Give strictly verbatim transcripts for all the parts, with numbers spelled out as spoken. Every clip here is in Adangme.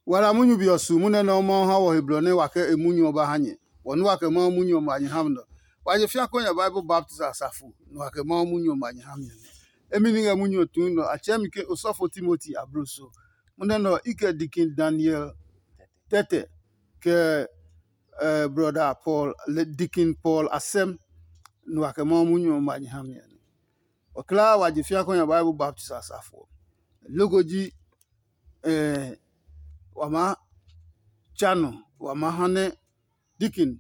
Wa la munyu be ɔ su munyu nɛ Mawu ha wɔ he blɔ nɛ wa kɛ e munyu ɔ ba ha nyɛ. Wɔ nɛ wa kɛ Mawu munyu ɔ ma nyɛ ha mi nɔ. Wa je fia kɔ nya Bible baptist asafo, nɛ wa kɛ Mawu munyu ɔ ma nyɛ ha mi ɔ nɛ. Emi ni ngɛ munyu ɔ tui nɔ, a tsɛɛ mi ke osɔfo Timoti abloso. Munyu nɛ ɔ, i kɛ Deacon Daniel Tɛtɛ, kɛ eh, brother Paul, le Deacon Paul Asɛm, nɛ wa kɛ Mawu munyu ɔ ma nyɛ ha mi ɔ nɛ. Ɔ kulaa wa je fia kɔ nya Bible baptist asafo ɔ. Loko ji eh, wa maa tsa nɔ, wa maa ha nɛ Deacon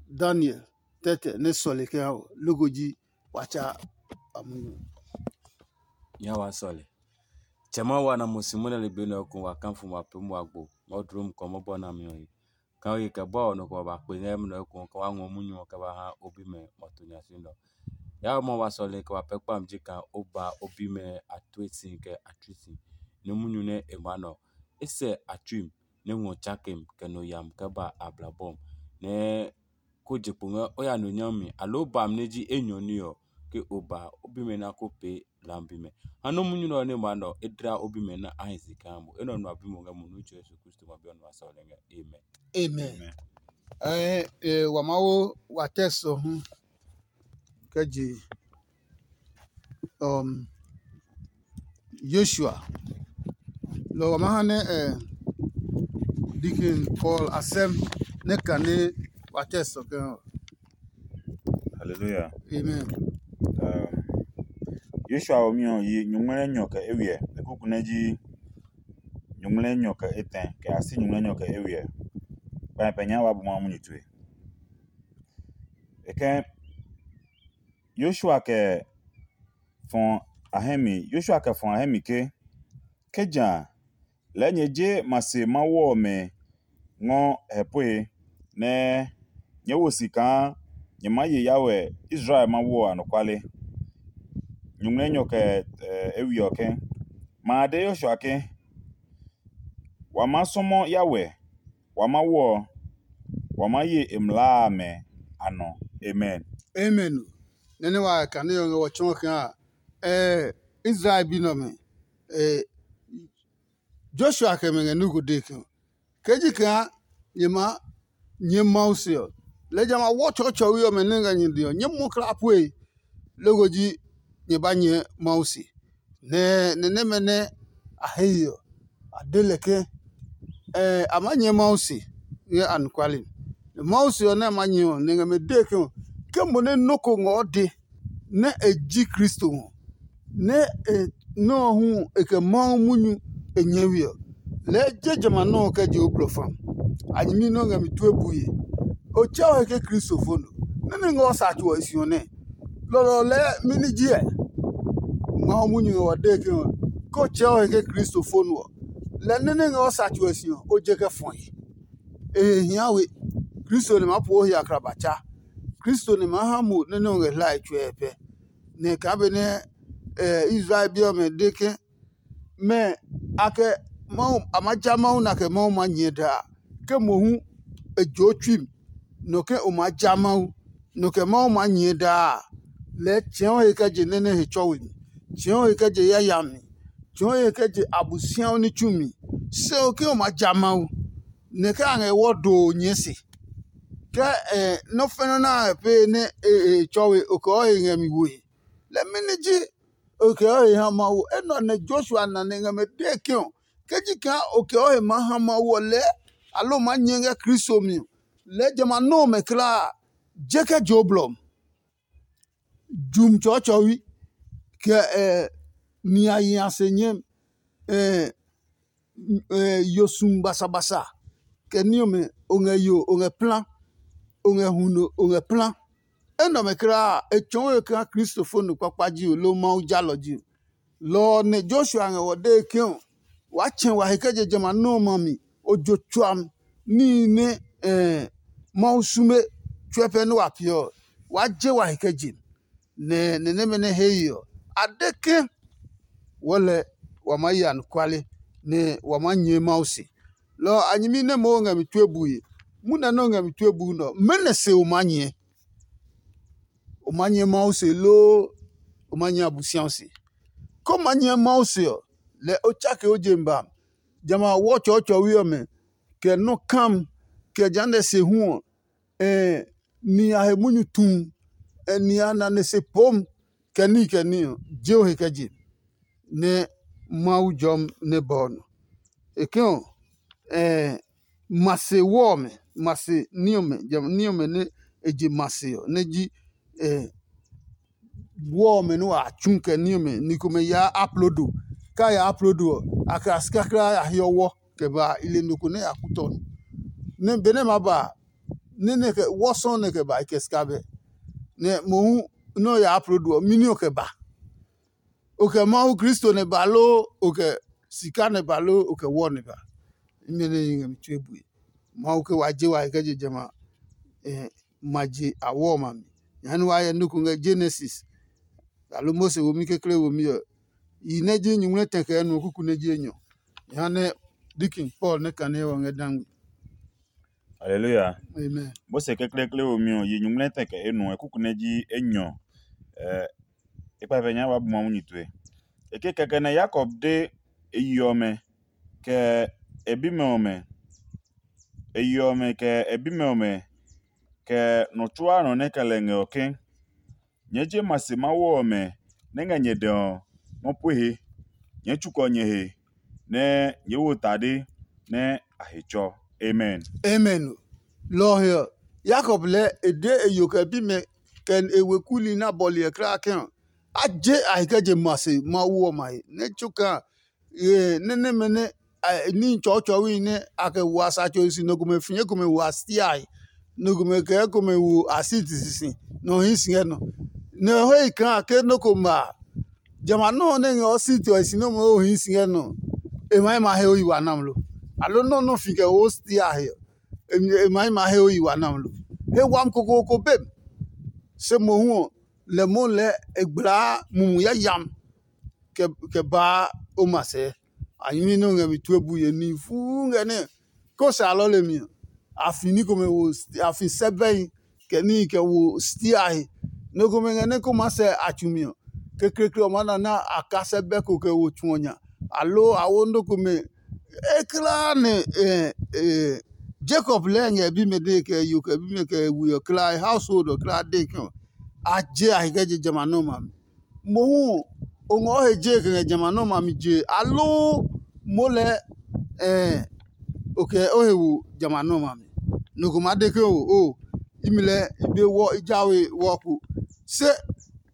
Daniel Tɛtɛ nɛ sɔle kɛ ha ɔ, loko ji wa tsa a munyu. Nya wa sɔle. Tsɛ Mawu wa na mo si mo nɛ ligbi nɛ ɔ ku wa kã fu ma pee mo agbo ngɛ o dlom kɔ mɔbɔ nami ɔ he. Kaa ye kɛ bɔ ɔ nɔ kɛ wa ba kpe ngɛ munɔ ekohu kɛ wa ngɔ munyu ɔ kɛ ba ha o bimɛ ma to nya si nɔ. Yaa mɔ wa sɔle kɛ wa pɛ kpam ji kaa o ba o bimɛ a tue si kɛ a tsui si. Nɛ munyu nɛ e maa nɔ, e sɛ a tsuim nɛ ngɔ tsakem kɛ no yam kɛ ba a blabɔm. Nɛ ko je kpo ngɛ o ya no nyami aloo bam nɛ ji enyɔ ní ɔ, ke o ba o bimɛ na ko pee lam bimɛ. Ha nɔ munyu nɛ ɔ nɛ maa nɔ e dla o bimɛ na a hi si kaa mo. Enɛ ɔ nu a bi mo ngɛ mo nu tso Yesu Kristo ma bi ɔ nu a sɔle ngɛ. Amen. Amen. Eh, eh, wa ma wo wa text ɔ hu kɛ je um, Joshua. Lɔ wa ma ha nɛ eh, Deacon Paul Asɛm nɛ kane wa text ɔ kɛ ɔ. Hallelujah. Amen. Um, Joshua ɔ mi ɔ yi nyuŋmlɛ nyɔ kɛ ewiɛ, e kuku nɛ ji nyuŋmlɛ nyɔ kɛ etɛ kɛ a si nyuŋmlɛ nyɔ kɛ ewiɛ. Kpa pɛ nya wa bu ma munyu tue. E kɛ Joshua kɛ fɔ a hɛ mi, Joshua kɛ fɔ a hɛ mi ke, ke ja a, lɛɛ nyɛ je ma se Mawu ɔmɛ ngɔ hɛ pue, nɛ nyɛɛ wo si kaa nyɛ maa ye Yawe Israel Mawu ɔ anɔkuale. Nyuŋmlɛ nyɔ kɛ e we ɔ ke, ma a de Yoshua ke, wa maa sɔmɔ Yawe, wa Mawu ɔ, wa maa ye e mlaa amɛ a nɔ. Amen. Amen. Nɛ nɛ wa kane ɔ ngɛ wɔ tsɔɔ kaa eh, Israel bi nɛ ɔmɛ, eh, Joshua kɛ mɛ ngɛ nɔ́ ko dee ke ɔ, ke ji kaa nyɛ maa nyɛɛ Mawu se ɔ, lɛɛ jamɛ a wɔ tsɔɔtsɔɔwe ɔmɛ nɛ ngɛ nyɛ dɛ ɔ, nyɛɛ mɔ kla pue, loko ji nyɛ ba nyɛɛ Mawu se. Nɛ nɛ nɛmɛ nɛ a he ye ɔ, a de lɛ ke, a maa nyɛɛ Mawu se ngɛ anɔkuale mi. Nɛ Mawu se ɔ nɛ a maa nyɛɛ ɔ, nɛ ngɛ mɛ dee ke ɔ, ke mo nɛ nɔ́ ko ngɔ de nɛ e ji Kristo ɔ, nɛ e nɔ́ ɔ hu e kɛ Mawu munyu e nyɛɛ we ɔ, lɛɛ je jamɛ a nɔ́ ɔ kɛ je o blɔ fa. A nyɛmi nɛ o ngɛ mi tue bue. O tsɛ o he ke Kristo fo nɔ. Mɛmɛ ngɛ o sa tso ɔ e si ɔ nɛ? Lɔlɔ lɛɛ mɛni ji ɛ? Mawu munyu ngɛ wa dee ke ɔ, ke o tsɛ o he ke Kristo fo nɔ ɔ, lɛ nɛ nɛ ngɛ o sa tso ɔ e si ɔ, o je kɛ fɔe. E he hia we. Kristo nɛ maa pue o he akraba tsa. Kristo nɛ maa ha mo nɛ nɛ o ngɛ hlae tsuɛ pɛ. Nɛ kaa benɛ Israel bi ɔmɛ de ke mɛ a kɛ Mawu a maa ja Mawu na kɛ Mawu maa nyɛɛ daa, ke mohu e joo tsui mi, nɔ ke o maa ja Mawu, nɔ kɛ Mawu maa nyɛɛ daa a, lɛɛ tsɛ̃ɔ he kɛ je nɛ́ nɛ he tsɔwe mi, tsɛ̃ɔ he kɛ je yayami, tsɛ̃ɔ he kɛ je Abosiaɔ ní tsumi. Se ɔ ke o maa ja Mawu, nɛ ke a ngɛ wɔ doo nyɛɛ se. Ke nɔ́ fɛnɔ nɛ a ngɛ pee nɛ e tsɔwe o kɛ ɔ he ngɛ mi woe, lɛ mɛni ji o kɛ ɔ he ha Mawu? Enɛ ɔ nɛ Joshua na nɛ ngɛ mɛ dee ke ɔ, ke ji kaa o kɛ ɔ he maa ha Mawu ɔ lɛɛ, aloo maa nyɛɛ ngɛ Kristo mi ɔ, lɛɛ jamɛ a nɔ́ ɔmɛ kulaa a, je kɛ je o blɔ ɔ. Jum tsɔɔtsɔwi, kɛ ɛ niayi a se nyɛmi, ɛ ɛ yo sum basabasa, kɛ ní ɔmɛ o ngɛ yo o ngɛ plã, o ngɛ huno o ngɛ plã. Enɛ ɔmɛ kulaa a, e tsɔɔ we kaa Kristo fo nɔ kpakpa ji o loo Mawu jalɔ ji o. Lɔ ɔ nɛ Joshua ngɛ wɔ dee ke ɔ, waa tsɛ wa he kɛ je jamɛ a nɔ́ ɔmɛ a mi, o jo tsuam níhi nɛ Mawu sume tsuɛ pɛ nɛ wa peɛ ɔ, waa je wa he kɛ je. Nɛ nɛ nɛmɛ nɛ he ye ɔ, a de ke, wɔɔ lɛ wa maa ye anɔkuale, nɛ wa maa nyɛɛ Mawu se. Lɔ ɔ a nyɛmi nɛ moo ngɛ mi tue bue, munɛ nɛ o ngɛ mi tue buu nɛ ɔ, mɛnɔ se o maa nyɛɛ? O maa nyɛɛ Mawu se loo o maa nyɛɛ Abosiaɔ se? Ke o maa nyɛɛ Mawu se ɔ, lɛ o tsake o je mi ba mi. jamɛ a wɔ tsɔɔtsɔɔwe ɔmɛ, kɛ nɔ́ kam, kɛ jehanɛ se hu ɔ, ni a he munyu tum, ni a nane se pom, kɛ níhi kɛ níhi ɔ, je o he kɛ je nɛ Mawu jɔmi nɛ ba o nɔ. E ke ɔ, ma se wɔ ɔmɛ, ma se ní ɔmɛ, jamɛ ní ɔmɛ nɛ e je ma se ɔ, nɛ ji wɔ ɔmɛ nɛ wa tsu kɛ ní ɔmɛ, ni komɛ yaa aplodo. Ka ya aplodo ɔ, a kɛ a sika kulaa a hiɔ wɔ kɛ ba a, i le nɔ ko nɛ ya kutɔ nɔ. Nɛ benɛ ma ba a, nɛ nɛ kɛ wɔ sɔɔ nɛ kɛ ba i kɛ sika bɛ. Nɛ mohu nɛ o ya aplodo ɔ, mini o kɛ ba? O kɛ Mawu Kristo nɛ ba loo, o kɛ sika nɛ ba loo, o kɛ wɔ nɛ ba? Imi nɛ yi ngɛ mi tue bue. Mawu ke wa je wa kɛ je jamɛ a, ma je a wɔ ɔmɛ a mi. Jehanɛ wa hyɛ nɔ ko ngɛ Genesis, aloo Mose womi kekle womi ɔ, yi nɛ ji nyuŋmlɛ tɛ kɛ nɔ kuku nɛ ji enyɔ. Jehanɛ Deacon Paul nɛ kane ɔ ngɛ dangmi. Haleluya. Amen. Mose kekleekle womi ɔ, yi nyuŋmlɛ tɛ kɛ enuɔ, kuku nɛ ji enyɔ. E kpɛfɛ nya ba bu Mawu nyi tue. E ke kɛkɛ nɛ Yakob de e yi ɔmɛ, kɛ e bimɛ ɔmɛ, e yi ɔmɛ, kɛ e bimɛ ɔmɛ, kɛ nɔ tsuaa nɔ nɛ kɛ lɛ ngɛ ɔ ke, nyɛɛ je ma se Mawu ɔmɛ nɛ ngɛ nyɛ dɛ ɔ, ma pue he. Nyɛɛ tsukɔ nyɛ he, nɛ nyɛɛ wo tade nɛ a he tsɔ. Amen. Amen. Lɔ ɔ he ɔ, Yakob lɛɛ e de e yo kɛ bimɛ kɛ e weku li nɛ a bɔle ɛ kulaa ke ɔ, a je a he kɛ je ma se Mawu ɔmɛ a he, nɛ tsokaa nɛ nɛmɛ nɛ níhi tsɔɔtsɔɔwi nɛ a kɛ wa sa tso si, nɔ komɛ fĩɛ komɛ wa stiae, nɔ komɛ kɛɛ komɛ wo a siti sisi, nɔ hii si ngɛ nɔ. Nɛ o he yi kaa ke nɔ́ ko ma a, jamɛ a nɔ́ ɔ nɛ ngɛ o siti ɔ e si nɔ́ moo hii si ngɛ nɔ, e ma yi ma he o yi wa nami lo? Aloo nɔ́ nɔ́ fi kɛ wo stiae ɔ, e ma yi ma he o yi wa nami lo? He wami kokooko bem. Se mohu ɔ, lɛ mohu lɛɛ e gblaa mumi yayami kɛ baa o ma sɛɛ. A nyɛmi nɛ o ngɛ mi tue bue nihi fuu ngɛ nɛ ko sa lɔle mi ɔ, a fi ní komɛ wo, a fi sɛbɛhi kɛ níhi kɛ wo stiahi. Nɔ komɛ ngɛ nɛ ko maa sɛ a tsu mi ɔ, kekleekle ɔ maa na nɛ a ka sɛbɛ ko kɛ wo tsu ɔ nya, aloo a wo nɔ komɛ e kulaa nɛ Jakob lɛɛ ngɛ bimɛ dee kɛ yo kɛ bimɛ kɛ we ɔ kulaa, e household ɔ kulaa dee ke ɔ, a je a he kɛ je jamɛ a nɔ́ ɔmɛ a mi. Mohu ɔ, o ngɔ o he jee kɛ ngɛ jamɛ a nɔ́ ɔmɛ a mi jee, aloo moo lɛɛ o kɛ o he wo jamɛ a nɔ́ ɔmɛ a mi? Nɔ ko maa de ke o o, imi lɛɛ i be wɔ i jawe wɔ ko. Se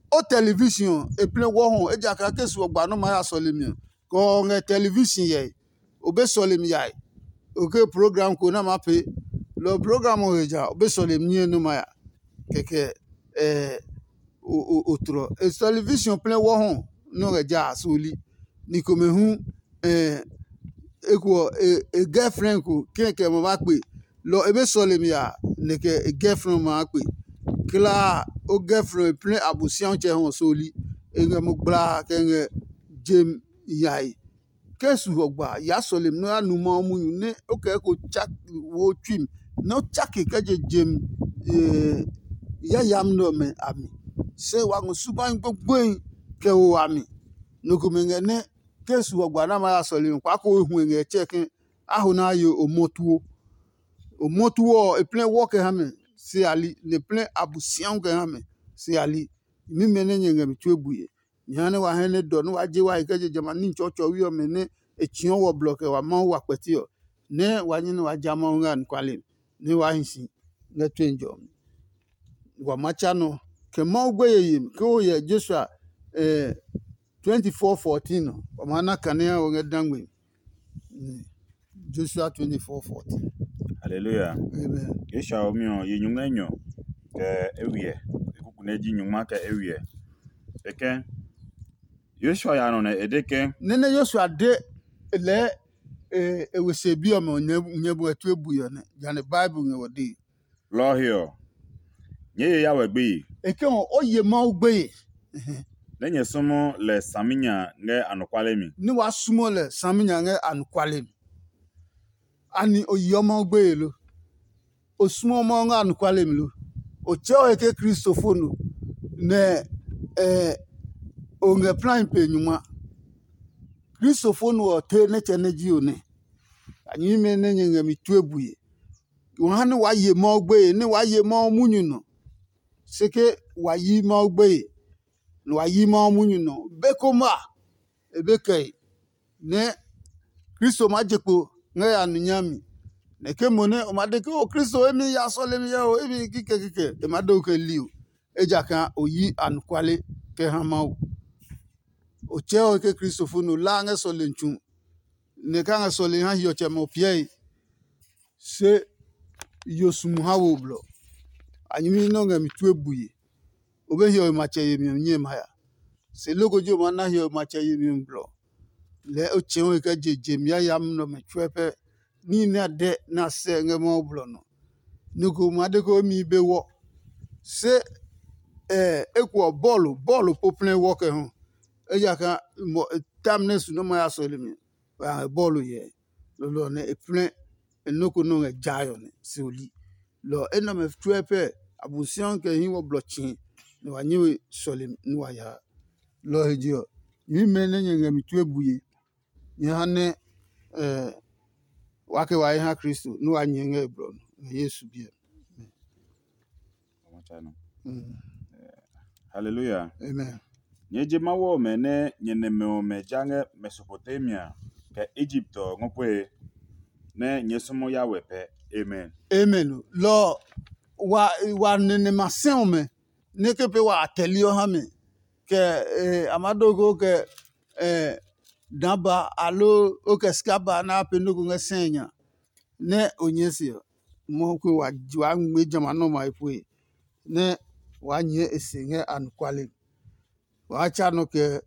o television ɔ, e plɛ wɔ hɔ, ejakaa ke su ɔ gba nɔ́ maa ya sɔlemi ɔ, kɛ o ngɛ television hyɛe, o be sɔlemi yae. O ke program ko nɛ a maa pee, lɔ ɔ program ɔ he ja, o be sɔlemi niye nɛ o ma ya. Kɛkɛ o tlɔ. E television plɛ wɔ hɔ nɛ o ngɛ ja a soli. Ni komɛ hu eko ɔ, e girlfriend ko kɛkɛ ma ba kpe. Lɔ ɔ e be sɔlemi ya, nɛ kɛ e girlfriend ɔ ma kpe. Kla a, o girlfriend ɔ e plɛ Abosiatsɛ hɔ soli. E ngɛ mo gblaa kɛ ngɛ jem yae. Ke su ɔ gba ya sɔlemi nɛ o ya nu Mawu munyu nɛ o kɛ eko tsa wo tsui mi, nɛ o tsake kɛ je jem yayami nɛ ɔmɛ a mi. Se wa ngɔ subahi gbogboehi kɛ ho a mi. Nɔ komɛ ngɛ nɛ ke su ɔ gba nɛ a maa ya sɔlemi kpaa ko hu e ngɛ tsɛɛ ke a ho nɛ a ye o mɔ tuo. O mɔ tuo ɔ, e plɛ wɔ kɛ ha mɛ se a li, nɛ e plɛ Abosiahu kɛ ha mɛ se a li. Nyɛmimɛ nɛ nyɛ ngɛ mi tue bue, nyɛ ha nɛ wa hɛ nɛ dɔ nɛ wa je wa he kɛ je jamɛ a níhi tsɔɔtsɔɔwi ɔmɛ nɛ e tsɔɔ wɔ blɔ kɛ wa Mawu wa kpɛti ɔ, nɛ wa nyɛ nɛ wa ja Mawu ngɛ anɔkuale mi, nɛ wa hi si ngɛ tue jɔmi. Wa ma tsa nɔ kɛ Mawu gbeye yemi ke o hyɛ Joshua twenty-four fourteen ɔ, wa maa na kanea ɔ ngɛ dangbe. Joshua twenty-four fourteen. Hallelujah. Amen. Joshua ɔ mi ɔ, ye nyuŋmlɛ nyɔ kɛ ewiɛ. E kuku nɛ ji nyuŋma kɛ ewiɛ. E kɛ Joshua ya nɔ nɛ e de ke, nɛ nɛ Joshua de lɛɛ e we se bi ɔmɛ ɔ, nyɛ bu ɛ tue bui ɔ nɛ, jane Bible ngɛ wɔ dee. Lɔ ɔ he ɔ, nyɛɛ ye ya wɛ gbeye. E ke ɔ, o ye Mawu gbeye. Nɛ nyɛ sɔmɔ lɛ saminya ngɛ anɔkuale mi. Ní wàá súnmọ́ lɛ saminya ngɛ anɔkuale mi. Ani o yeɔ Mawu gbeye lo? O suɔ Mawu ngɛ anɔkuale mi lo? O tsɛɛ o he ke Kristofo no, nɛ o ngɛ plai pe nyungma. Kristofo no ɔ tee nɛ tsɛ nɛ ji o nɛ. a nyɛmimɛ nɛ nyɛ ngɛ mi tue bue. Wa ha nɛ waa ye Mawu gbeye, nɛ waa ye Mawu munyu nɔ. Se ke wa yi Mawu gbeye, nɛ wa yi Mawu munyu nɔ. Be ko ma, e be kɛe nɛ Kristo maa je kpo ngɛ ya nu nyami. Nɛ ke mo nɛ o ma de ke o Kristo emi ya sɔlemi yɛ o, emi kikɛ kikɛ, e ma de o kɛ li o, ejakaa o yi anɔkuale kɛ ha Mawu. O tsɛɛ o ke kristofo no laa ngɛ sɔlemi tsu, nɛ e ka ngɛ sɔlemi ha hiɔtsɛmɛ ɔ piɛe. Se yo sumu ha wo blɔ. A nyɛmi nɛ o ngɛ mi tue bue. O be hiɔwe matsɛ yemi ɔ nyɛe ma ya. Se loko ji o maa na hiɔwe matsɛ yemi ɔ blɔ. Lɛɛ o tsɛ̃ o he kɛ je je mi yayami nɛ ɔmɛ tsuɛ pɛ. Níhi nɛ a dɛ nɛ a sɛ ngɛ Mawu blɔ nɔ. Nɔ ko ma de ko emi be wɔ. Se eko ɔ bɔɔlu bɔɔlu poplɛ wɔ kɛ hu. Ejakaa tami nɛ su nɛ ma ya sɔlemi, wa ngɛ bɔɔlu hyɛ. Lolo ɔ nɛ e plɛ e nɔ́ ko nɔ́ ngɛ jai ɔ nɛ se o li. Lɔ ɔ enɛ ɔmɛ tsuɛ pɛ Abosiami kɛ hii wɔ blɔ tsii nɛ wa nyɛ we sɔlemi nɛ wa yaa. Lɔ ɔ he je ɔ, nyɛmimɛ nɛ nyɛ ngɛ mi tue bue, nyɛ ha nɛ wa kɛ wa he ha Kristo nɛ wa nyɛ ngɛ e blɔ nɔ ngɛ Yesu biɛ. Haleluya. Amen. Nyɛɛ je Mawu ɔmɛ nɛ nyɛ nɛmɛ ɔmɛ ja ngɛ Mesopotamia kɛ Egipt ɔ ngɔ pue, nɛ nyɛɛ sɔmɔ Yawe pɛ. Amen. Amen. Lɔ ɔ, wa wa nene ma sɛ ɔmɛ nɛ ke pee wa a tɛli ɔ ha mɛ, kɛ eh, a ma do ko kɛ eh, dã ba alo o kɛ sika ba nɛ a pee nɔ́ ko ngɛ sɛ nya nɛ o nyɛɛ se ɔ, Mawu ko wa wa ngmɛɛ jamɛ a nɔ́ ma e pue nɛ waa nyɛɛ e se ngɛ anɔkuale mi. Waa tsa nɔ kɛ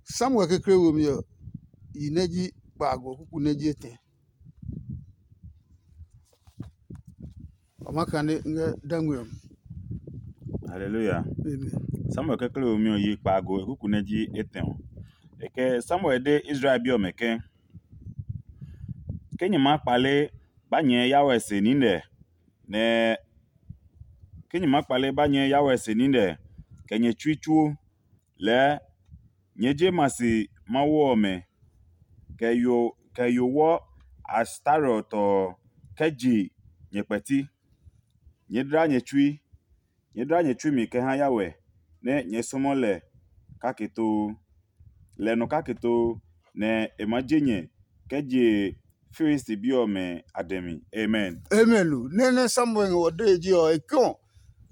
Samuel kekle womi ɔ, yi nɛ ji kpaago kuku nɛ ji etɛ. Wa ma kane ngɛ dangwe ɔ mi. Haleluya. Amen. Samuel kekle womi ɔ yi kpaago e kuku nɛ ji etɛ ɔ. E kɛ Samuel de Israel bi ɔmɛ ke, ke nyɛ maa kpale ba nyɛɛ Yawe se nine, nɛ ke nyɛ maa kpale ba nyɛɛ Yawe se nine kɛ nyɛ tsui tsuo, lɛɛ nyɛ je ma si Mawu ɔmɛ, kɛ yo kɛ yo wɔ Astarot ɔ kɛ je nyɛ kpɛti. Nyɛ dla nyɛ tsui, nyɛ dla nyɛ tsui mi kɛ ha Yawe, nɛ nyɛ sɔmɔ lɛ kake too. Lɛ nɔ kake too, nɛ e maa je nyɛ kɛ je Filisti bi ɔmɛ a dɛ mi. Amen. Amen. Nɛ nɛ Samuel ngɛ wɔ dee ji ɔ, e kɛ̃ ɔ,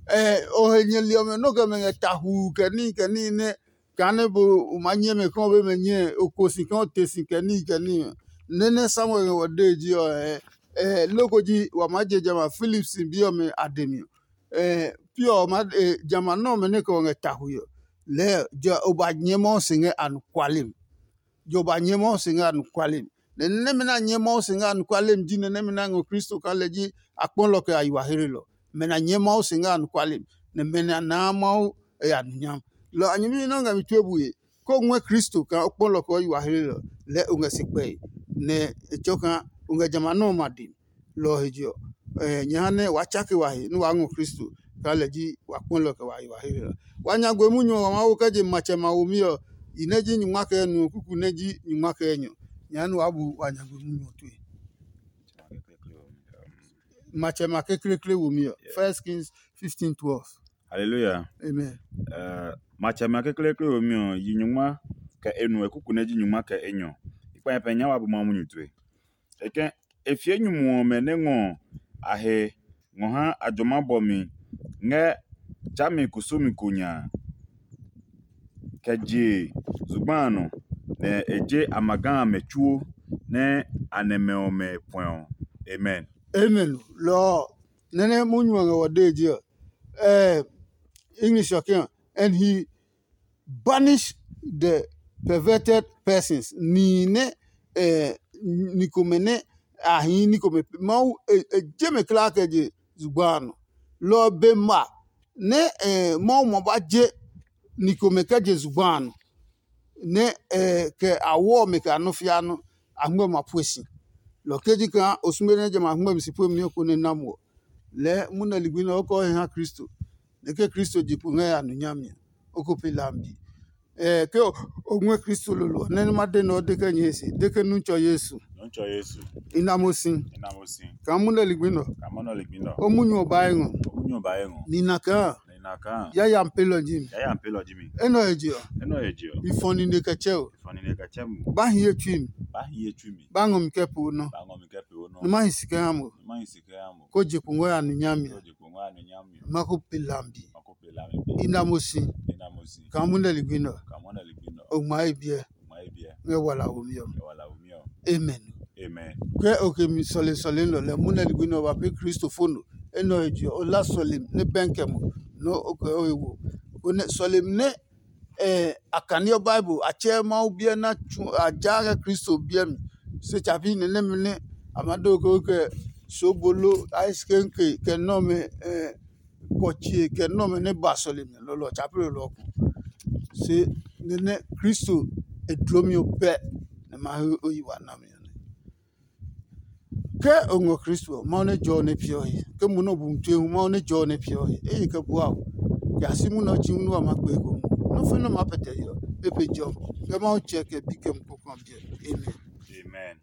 ɛ, o he nyɛli ɔmɛ nɔ kɛ mɛ ngɛ tahuu kɛ níhi kɛ níhi nɛ kaa nɛ bo o maa nyɛ mɛ kɛ o be mɛ nyɛ o ko si kɛ o te si kɛ níhi kɛ níhi. Nɛ nɛ Samuel ngɛ wɔ dee ji ɔ, ɛ, ɛ, loko ji wa maa je jamɛ a Filisti bi ɔmɛ a dɛ mi ɔ. Ɛ, pi ɔ ma, ɛ, jamɛ a nɛ ɔmɛ nɛ kɛ o ngɛ tahuu ɔ, lɛɛ jɛ o ba nyɛ Mawu si ngɛ anɔkuale mi. Jɔ ba nyɛ Mawu si ngɛ anɔkuale mi. Nɛ nɛmɛ nɛ a nyɛ Mawu si ngɛ anɔkuale mi ji nɛ nɛmɛ nɛ a ngɔ Kristo kaa lɛ ji akpɔlɔ kɛ a yi wa hlelɔ. Mɛ nɛ a nyɛ Mawu si ngɛ anɔkuale mi, nɛ mɛ nɛ a naa Mawu e ya nɔ nyam. Lɔ a nyɛmi nɛ o ngɛ mi tue bue, kó o ngɔɛ Kristo kaa o kpɔlɔ kɛ o yi wa hlelɔ, lɛɛ o ngɛ si kpɛe, nɛ e tsɔ kaa o ngɛ jamɛ a nɔ́ ɔmɛ a dɛ mi. Lɔ ɔ he je ɔ, nyɛ ha nɛ waa tsake wa he nɛ waa ngɔ Kristo kaa lɛ ji wa kpɔlɔ kɛ wa yi wa hlelɔ. Wa nyagbe munyu ɔ wa maa wo kɛ je matsɛ ma womi ɔ, i nɛ ji nyungma kɛ enuɔ kuku nɛ ji nyungma kɛ enyɔ. Nyɛ ha nɛ waa bu wa nyagbe munyu ɔ tue. Matsɛ ma kekleekle womi ɔ, First Kings fifteen twelve. Hallelujah. Amen. Matsɛ ma kekleekle womi ɔ, yi nyungma kɛ enuɔ kuku nɛ ji nyungma kɛ enyɔ. I kpa nyɛ pɛ nya wa bu Mawu munyu tue. E kɛ e fie nyumu ɔmɛ nɛ ngɔ a he ngɔ ha a jɔma bɔmi ngɛ tsami kusumi ko nya, kɛ je zugba a nɔ, nɛ e je a ma ga amɛ tsuo nɛ a nɛmɛ ɔmɛ puɛ ɔ. Amen. Amen. Lɔ ɔ, nɛnɛ munyu ɔ ngɛ wɔ dee ji ɔ, eh, English ɔ ke ɔ, and he banish the perverted persons. Nihi nɛ eh, ni komɛ nɛ a hii ní komɛ Mawu e je mɛ kulaa kɛ je zugba a nɔ. Lɔ ɔ be ma nɛ Mawu ma ba je ni komɛ kɛ je zugba a nɔ, nɛ kɛ a wɔ mɛ kɛ a nɔ fia nɔ a ngmɛ ma pue si. Lɔ keji kaa o sume nɛ jamɛ a ngmɛ mi si pue mi ɔ ko nɛ na mo ɔ, lɛɛ munɛ ligbi nɛ o kɛ o he ha Kristo, nɛ ke Kristo je pu ngɛ ya nu nyami ɔ, o ko pe lambi. Ke o ngɔɛ Kristo lolo ɔ, nɛ nɛ ma de nɛ o de kɛ nyɛ he se, de ke nu tsɔ Yesu. Tsɔ Yesu. I na mo si. I na mo si. Kaa munɛ ligbi nɔ. Ka mɔ nɔ ligbi nɔ. O munyu ɔ ba e ngɔ. O munyu ba ye ngɔ. Ni na kaa. Ni na kaa. Yayami pelɔ ji mi. Yayami pelɔ ji mi. Enɔ he je ɔ. Enɔ he je ɔ. I fɔ nine kɛ tsɛ o. Fɔ nine kɛ tsɛ mu. Ba hi ye tsui mi. Ba hi ye tsui mi. Ba ngɔ mi kɛ po nɔ. Ba ngɔ mi kɛ po nɔ. Ni ma hi si kɛ ha mo. Ni ma hi si kɛ ha mo. Ko je kungɔ ya nu nya mi. Ko je kungɔ ya nu nya mi. Ma ko pe lambi. Ma ko pe lambi. I na mo si. I na mo si. Kaa munɛ ligbi nɔ. Kaa munɛ ligbi nɔ. O ngma ye biɛ. O ngma ye biɛ. Ngɛ wala wo mi ɔ. Ngɛ wala wo mi ɔ. Amen. Amen. Kɛ o ke mi sɔle sɔle nɔ lɛ munɛ ligbi nɔ ba pe Kristo fo no. Enɔ he je ɔ, o la sɔlemi nɛ bɛnkɛ mo nɔ o kɛ o he wo. Konɛ sɔlemi nɛ eh, a kaniɔ Bible, a tsɛ Mawu biɛ na tsu a ja kɛ Kristo biɛ mi. Se tsapi nɛ nɛmɛ nɛ a ma do ko kɛ sobolo, ice cream cake, kɛ nɔmɛ eh, kɔtsie kɛ nɔmɛ nɛ ba sɔlemi lɔlɔ tsapi lɔlɔ ko. Se nɛ nɛ Kristo e dlomi ɔ pɛ nɛ ma he o yi wa nami ɔ nɛ. Ke o ngɔ Kristo ɔ, Mawu nɛ jɔɔ nɛ piɔ he. Ke mo nɔ bu tue hu, Mawu nɛ jɔɔ nɛ piɔ he. Eye kɛ bua o. Ya si munɔ ɔ tsi hu nɛ wa ma kpee ko mu. Nɔ́ fe nɛ ma pɛtɛ he ɔ, e pe jɔ. Ke Mawu tsɛ kɛ bi kɛ mu kpokpɔ biɛ. Amen. Amen.